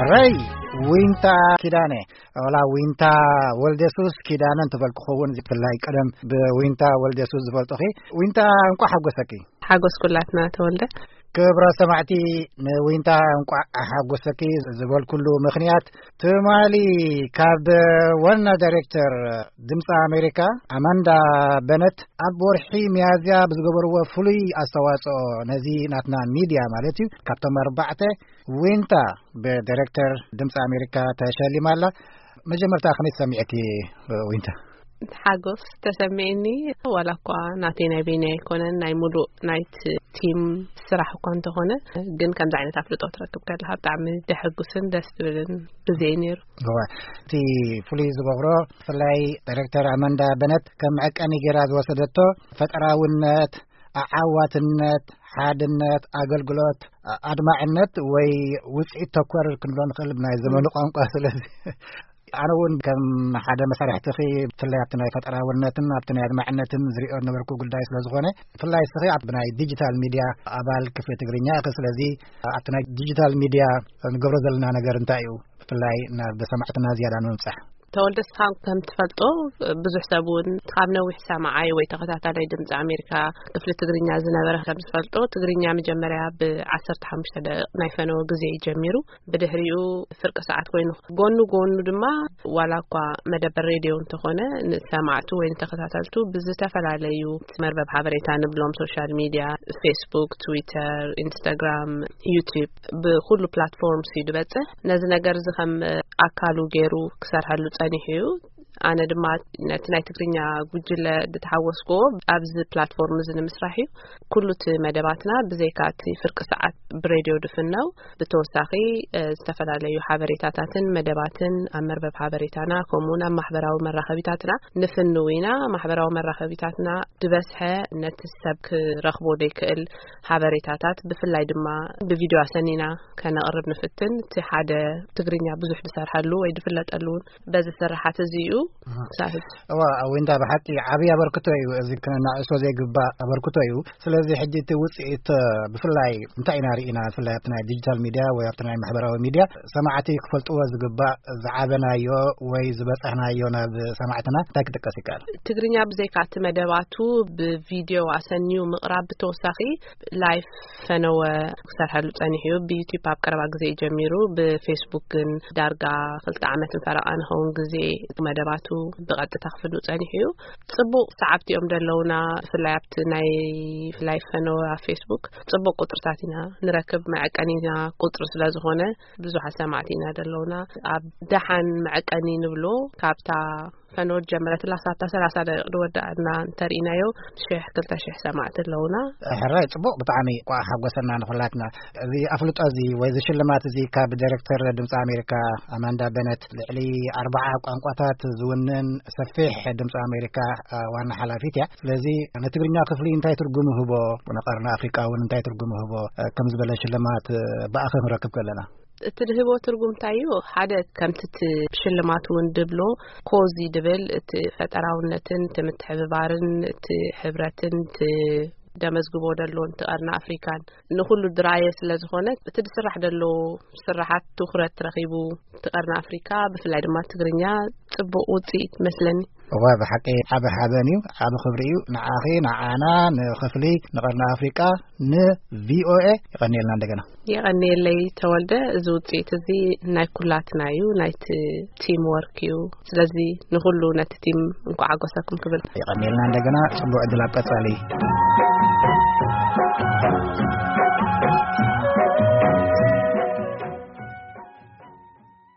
ወይ ዊንታ ኪዳነ፣ ወላ ዊንታ ወልደሱስ ኪዳነ እንተበልኩ ክኸውን፣ ብፍላይ ቀደም ብዊንታ ወልደሱስ ዝፈልጡኺ። ዊንታ፣ እንኳዕ ሓጎሰኪ። ሓጎስ ኩላትና ተወልደ። ክብራ ሰማዕቲ፣ ንዊንታ እንኳዕ ሓጎሰኪ ዝበልኩሉ ምኽንያት፣ ትማሊ ካብ ዋና ዳይሬክተር ድምፂ ኣሜሪካ ኣማንዳ በነት ኣብ ወርሒ ሚያዝያ ብዝገበርዎ ፍሉይ ኣስተዋፅኦ ነዚ ናትና ሚድያ ማለት እዩ፣ ካብቶም ኣርባዕተ ዊንታ ብዳይሬክተር ድምፂ ኣሜሪካ ተሸሊማ ኣላ። መጀመርታ ከመይ ተሰሚዐኪ ዊንታ? ሓጎስ ተሰሚዕኒ። ዋላ እኳ ናተይ ናይ በይነይ ኣይኮነን፣ ናይ ሙሉእ ናይቲ ቲም ስራሕ እኳ እንተኾነ፣ ግን ከምዚ ዓይነት ኣፍልጦ ትረክብ ከለካ ብጣዕሚ ደሐጉስን ደስ ትብልን ግዜ እዩ ነይሩ። እወ፣ እቲ ፍሉይ ዝገብሮ፣ ብፍላይ ዳይሬክተር ኣማንዳ በነት ከም መዐቀኒ ገይራ ዝወሰደቶ ፈጠራውነት፣ ኣዓዋትነት፣ ሓድነት፣ ኣገልግሎት፣ ኣድማዕነት ወይ ውፅኢት ተኮር ክንብሎ ንኽእል ብናይ ዘመኑ ቋንቋ። ስለዚ ኣነ እውን ከም ሓደ መሳርሕትኺ፣ ብፍላይ ኣብቲ ናይ ፈጠራውነትን ኣብቲ ናይ ኣድማዕነትን ዝሪኦ ነበርኩ ጉዳይ ስለ ዝኾነ፣ ብፍላይ እስኺ ኣብ ናይ ዲጂታል ሚድያ ኣባል ክፍሊ ትግርኛ ኢኺ። ስለዚ ኣብቲ ናይ ዲጂታል ሚድያ ንገብሮ ዘለና ነገር እንታይ እዩ? ብፍላይ ናብ ሰማዕትና ዝያዳ ንምብፃሕ። ተወልደ፣ እስኻ ከም ትፈልጦ ብዙሕ ሰብ እውን ካብ ነዊሕ ሰማዓይ ወይ ተኸታታላይ ድምፂ ኣሜሪካ ክፍሊ ትግርኛ ዝነበረ ከም ዝፈልጦ፣ ትግርኛ መጀመርያ ብ15 ደቂቕ ናይ ፈነወ ግዜ እዩ ጀሚሩ። ብድሕሪኡ ፍርቂ ሰዓት ኮይኑ፣ ጎኑ ጎኑ ድማ ዋላ እኳ መደበር ሬድዮ እንተኾነ፣ ንሰማዕቱ ወይ ንተኸታተልቱ ብዝተፈላለዩ መርበብ ሓበሬታ ንብሎም፣ ሶሻል ሚድያ፣ ፌስቡክ፣ ትዊተር፣ ኢንስታግራም፣ ዩቲዩብ፣ ብኩሉ ፕላትፎርምስ እዩ ዝበፅሕ። ነዚ ነገር እዚ ከም ኣካሉ ገይሩ ክሰርሐሉ ጸኒሑ እዩ። ኣነ ድማ ነቲ ናይ ትግርኛ ጉጅለ ዝተሓወስክዎ ኣብዚ ፕላትፎርም እዚ ንምስራሕ እዩ። ኩሉ እቲ መደባትና ብዘይካ እቲ ፍርቂ ሰዓት ብሬድዮ ድፍነው፣ ብተወሳኺ፣ እ፣ ዝተፈላለዩ ሓበሬታታትን መደባትን ኣብ መርበብ ሓበሬታና፣ ከምኡውን ኣብ ማሕበራዊ መራኸቢታትና ንፍንው ኢና። ማሕበራዊ መራኸቢታትና ዝበዝሐ ነቲ ሰብ ክረኽቦ ዘይክእል ሓበሬታታት፣ ብፍላይ ድማ ብቪድዮ ኣሰኒና ከነቕርብ ንፍትን። እቲ ሓደ ትግርኛ ብዙሕ ዝሰርሐሉ ወይ ዝፍለጠሉ እውን በዚ ስራሓት እዚ እዩ። ኣሃ። ሳህል። እዋ፣ ዊንታ፣ ብሓቂ ዓብዪ ኣበርክቶ እዩ። እዚ ክነናዕሶ ዘይግባእ ኣበርክቶ እዩ። ስለዚ ሕጂ እቲ ውፅኢት፣ ብፍላይ እንታይ ኢና ርኢና? ብፍላይ ኣብቲ ናይ ዲጂታል ሚድያ ወይ ኣብቲ ናይ ማሕበራዊ ሚድያ ሰማዕቲ ክፈልጥዎ ዝግባእ ዝዓበናዮ ወይ ዝበፃሕናዮ ናብ ሰማዕትና እንታይ ክጥቀስ ይከኣል? ትግርኛ ብዘይካ እቲ መደባቱ ብቪድዮ ኣሰንዩ ምቕራብ ብተወሳኺ ላይፍ ፈነወ ክሰርሐሉ ጸኒሑ እዩ። ብዩቲዩብ ኣብ ቀረባ ግዜ እዩ ጀሚሩ። ብፌስቡክ ግን ዳርጋ ክልተ ዓመትን ፈረቓ ንኸውን ግዜ መደባቱ ብቐጥታ ክፍኑ ጸኒሑ እዩ። ጽቡቕ ሰዓብቲ እዮም ዘለውና። ብፍላይ ኣብቲ ናይ ላይፍ ፈነወ ኣብ ፌስቡክ ጽቡቕ ቁጽርታት ኢና ንረክብ። መዐቀኒና ቁጽሪ ስለ ዝኾነ ብዙሓት ሰማዕቲ ኢና ዘለውና። ኣብ ደሓን መዐቀኒ ንብሎ፣ ካብታ ፈነወ ጀመረትላ ክሳብታ ሰላሳ ደቂቕ ዝወዳእና እንተርኢናዮ፣ ሽሕ፣ ክልተ ሽሕ ሰማዕቲ ኣለውና። ሕራይ፣ ጽቡቕ፣ ብጣዕሚ እኳ ሓጎሰና ንኹላትና። እዚ ኣፍልጦ እዚ ወይ እዚ ሽልማት እዚ ካብ ዳይሬክተር ድምፂ ኣሜሪካ ኣማንዳ በነት፣ ልዕሊ ኣርባዓ ቋንቋታት ዝውንን ሰፊሕ ድምፂ ኣሜሪካ፣ እ፣ ዋና ሓላፊት እያ። ስለዚ ንትግርኛ ክፍሊ እንታይ ትርጉም ይህቦ፣ ንቀርኒ ኣፍሪቃ እውን እንታይ ትርጉም ይህቦ፣ እ፣ ከም ዝበለ ሽልማት፣ እ፣ ብኣኺ ክንረክብ ከለና? እቲ ድህቦ ትርጉም እንታይ እዩ? ሓደ፣ ከምቲ እቲ ሽልማት እውን ድብሎ፣ ኮዚ ድብል፣ እቲ ፈጠራውነትን እቲ ምትሕብባርን እቲ ሕብረትን እቲ ደመዝግቦ ደሎ፣ እቲ ቀርኒ ኣፍሪካን ንኹሉ ድራየ ስለ ዝኾነ፣ እቲ ዝስራሕ ደሎ ስራሓት ትኹረት ረኺቡ፣ እቲ ቀርኒ ኣፍሪካ፣ ብፍላይ ድማ ትግርኛ፣ ጽቡቕ ውጽኢት መስለኒ። እዋ፣ ብሓቂ ዓቢ ሓበን እዩ፣ ዓቢ ክብሪ እዩ ንዓኺ፣ ንዓና፣ ንኽፍሊ፣ ንቐርኒ ኣፍሪቃ፣ ንቪኦኤ። የቐንየልና እንደገና። የቐንየለይ ተወልደ፣ እዚ ውጽኢት እዚ ናይ ኩላትና እዩ፣ ናይቲ ቲም ወርክ እዩ። ስለዚ ንኹሉ ነቲ ቲም እንኳዕ ሓጎሰኩም ክብል። የቐንየልና እንደገና፣ ጽቡቕ ዕድል ኣብ ቀጻሊ።